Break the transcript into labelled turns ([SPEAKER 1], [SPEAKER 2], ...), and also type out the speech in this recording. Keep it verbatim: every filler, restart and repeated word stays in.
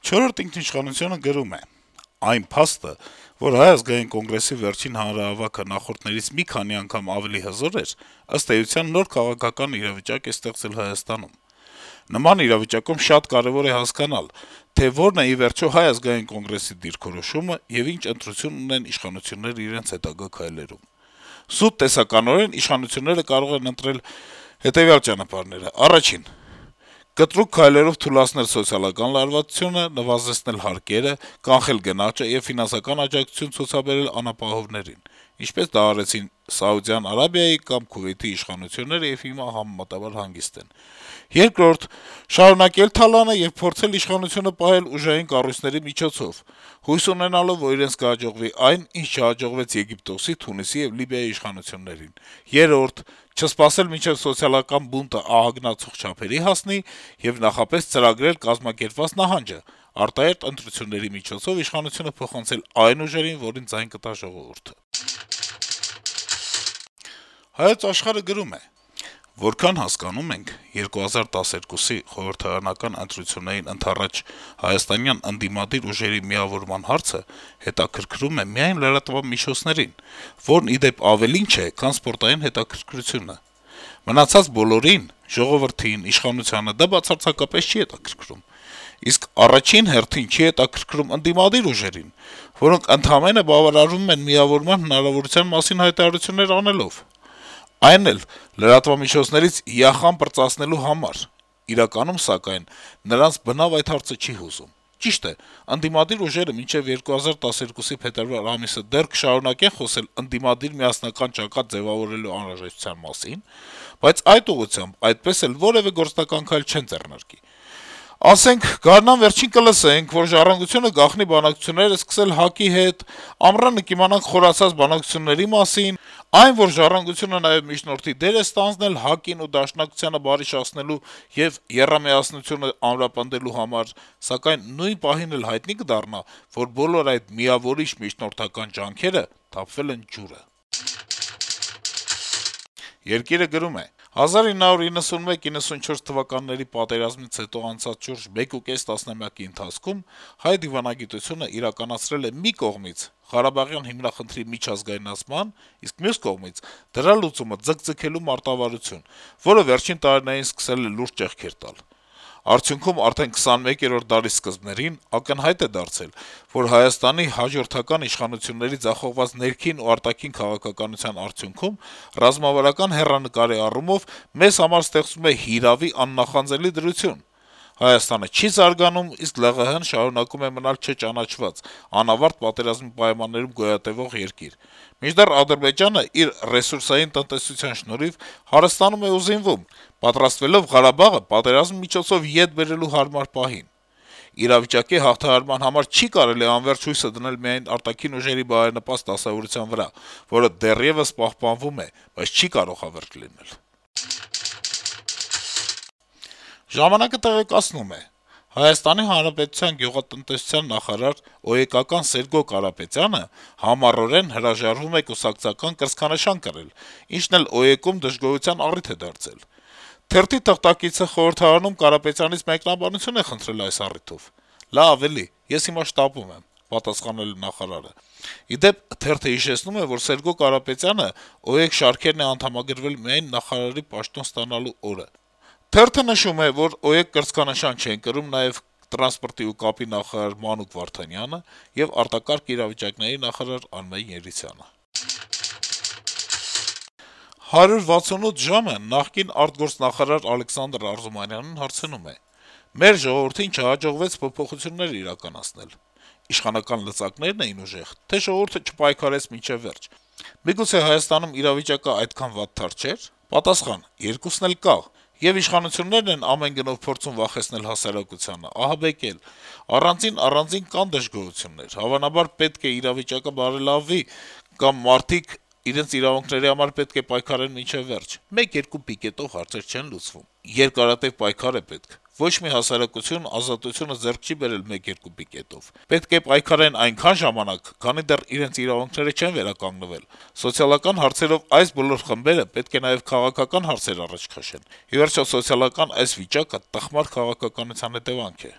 [SPEAKER 1] «Չորրորդ ինքնիշխանություն»-ը գրում է. - «Այն փաստը, որ Հայ ազգային կոնգրեսի վերջին հանրահավաքը նախորդներից մի քանի անգամ ավելի հզոր էր, ըստ էության նոր քաղաքական իրավիճակ է ստեղծել Հայաստանում: Նման իրավիճակում շատ կարեւոր է հասկանալ, թե որն է ի վերջո Հայ ազգային կոնգրեսի դիրքորոշումը եւ ինչ ընտրություն ունեն իշխանությունները իրենց հետագա քայլերում: Սուտ տեսականորեն իշխանությունները կարող են ընտրել հետեւյալ ճանապարհները. Առաջին՝ կտրուկ քայլերով թուլացնել սոցիալական լարվածությունը, նվազեցնել հարկերը, կանխել գնաճը եւ ֆինանսական աջակցություն ցուցաբերել անապահովներին, ինչպես դա արեցին Սաուդյան Արաբիայի կամ Քուվեյթի իշխանությունները եւ հիմա համեմատաբար հանգիստ են: Երկրորդ՝ շարունակել թալանը եւ փորձել իշխանությունը պահել ուժային կառույցների միջոցով, հույս ունենալով, որ իրենց կհաջողվի այն, ինչ չհաջողվեց Եգիպտոսի, Թունիսի եւ Լիբիայի իշխանություններին: Երրորդ՝ չսպասել մինչեւ սոցիալական բունտը ահագնացող չափերի հասնի եւ նախապես ծրագրել կազմակերպված նահանջը՝ արտահերթ ընտրությունների միջոցով իշխանությունը փոխանցել այն ուժերին, որին ձայն կտա ժողովուրդը»: «Հայոց Աշխարհ»-ը գրում է. - «Որքան հասկանում ենք, երկու հազար տասներկուսի խորհրդարանական ընտրություններին ընդառաջ հայաստանյան ընդդիմադիր ուժերի միավորման հարցը հետաքրքրում է միայն լրատվամիջոցներին, որն, ի դեպ, ավելին չէ, քան սպորտային հետաքրքրությունը: Մնացած բոլորին՝ ժողովրդին, իշխանությանը դա բացարձակապես չի հետաքրքրում: Իսկ առաջին հերթին չի հետաքրքրում ընդդիմադիր ուժերին, որոնք ընդամենը բավարարվում են միավորման հնարավորության մասին հայտարարություններ անելով: Այն էլ լրատվամիջոցներից «յախան պրծացնելու» համար: Իրականում, սակայն, նրանց բնավ այդ հարցը չի հուզում: Ճիշտ է, ընդդիմադիր ուժերը մինչեւ երկու հազար տասներկուսի փետրվար ամիսը դեռ կշարունակեն խոսել ընդդիմադիր միասնական ճակատ ձեւավորելու անհրաժեշտության մասին, բայց այդ ուղղությամբ այդպես էլ որեւէ գործնական քայլ չեն ձեռնարկի: Ասենք, գարնան վերջին կլսենք, որ «Ժառանգությունը» գաղտնի բանակցություններ է սկսել ՀԱԿ-ի հետ, ամռանը կիմանանք խորացած բանակցությունների մասին, այն, որ «Ժառանգությունը» նաեւ միջնորդի դեր է ստանձնել ՀԱԿ-ին ու Դաշնակցությանը բարիշացնելու եւ եռամիասնությունը ամրապնդելու համար, սակայն նույն պահին էլ հայտնի կդառնա, որ բոլոր այդ միավորիչ միջնորդական ջանքերը թափվել են ջուրը»: «Երկիր»-ը գրում է. - «հազար ինը հարյուր իննսունմեկ իննսունչորս թվականների պատերազմից հետո անցած շուրջ մեկուկես տասնամյակի ընթացքում հայ դիվանագիտությունը իրականացրել է մի կողմից Ղարաբաղյան հիմնախնդրի միջազգայնացման, իսկ մյուս կողմից դրա լուծումը ձգձգելու մարտավարություն, որը վերջին տարիներին սկսել է լուրջ ճեղքեր տալ: Արդյունքում արդեն քսանմեկերորդ դարի սկզբներին ակնհայտ է դարձել, որ Հայաստանի հաջորդական իշխանությունների ձախողված ներքին ու արտաքին քաղաքականության արդյունքում ռազմավարական հեռանկարի առումով մեզ համար ստեղծվում է հիրավի աննախանձելի դրություն: Հայաստանը չի զարգանում, իսկ ԼՂՀ-ն շարունակում է մնալ չճանաչված, անավարտ պատերազմի պայմաններում գոյատեւող երկիր, մինչդեռ Ադրբեջանը իր ռեսուրսային տնտեսության շնորհիվ հարստանում է ու զինվում, պատրաստվելով Ղարաբաղը պատերազմի միջոցով ետ բերելու հարմար պահին: Իրավիճակի հաղթահարման համար չի կարելի անվերջ հույսը դնել միայն արտաքին ուժերի բարենպաստ դասավորության վրա, որը դեռեւս պահպանվում է, բայց չի կարող հավերժ լինել»: «Ժամանակ»-ը տեղեկացնում է. - «Հայաստանի Հանրապետության գյուղատնտեսության նախարար, օ.է.կական Սերգո Կարապետյանը համառորեն հրաժարվում է կուսակցական կրծքանշան կրել, ինչն էլ օ.է.կում դժգոհության առիթ է դարձել: Թերթի թղթակիցը խորհրդարանում Կարապետյանից մեկնաբանություն է խնդրել այս առիթով: Լավ, էլի, ես հիմա շտապում եմ», - պատասխանել է նախարարը: Ի դեպ, թերթը հիշեցնում է, որ Սերգո Կարապետյանը ՕԵԿ շարքերն է անդամակրվել միայն նախարարի պաշտոն ստանալու օրը: Թերթը նշում է, որ ՕԵԿ կրծքանշան չեն կրում նաեւ տրանսպորտի ու կապի նախարար Մանուկ Վարդանյանը եւ արտակարգ իրավիճակների նախարար Արմեն Երիցյանը: «հարյուր վաթսունութ ժամ»-ը նախկին արտգործնախարար Ալեքսանդր Արզումանյանին հարցնում է. - «Մեր ժողովրդին չհաջողվեց փոփոխություններ իրականացնել: Իշխանական լծակնե՞րն էին ուժեղ, թե՞ ժողովուրդը չպայքարեց մինչեւ վերջ: Միգուցե Հայաստանում իրավիճակը այդքան վատթար չէր»: Պատասխան. - «Երկուսն էլ կա: Ե'ւ իշխանություններն են ամեն գնով փորձում վախեցնել հասարակությանը, ահաբեկել: Առանձին-առանձին կան դժգոհություններ: Հավանաբար պետք է իրավիճակը բարելավվի, կամ մարդիկ իրենց իրավունքների համար պետք է պայքարեն մինչեւ վերջ: Մեկ-երկու պիկետով հարցեր չեն լուծվում: Երկարատեւ պայքար է պետք: Ոչ մի հասարակություն ազատությունը ձեռք չի բերել մեկ-երկու պիկետով: Պետք է պայքարեն այնքան ժամանակ, քանի դեռ իրենց իրավունքները չեն վերականգնվել: Սոցիալական հարցերով այս բոլոր խմբերը պետք է նաեւ քաղաքական հարցեր առաջ քաշեն: Ի վերջո, սոցիալական այս վիճակը տխմար քաղաքականության հետեւանք է»: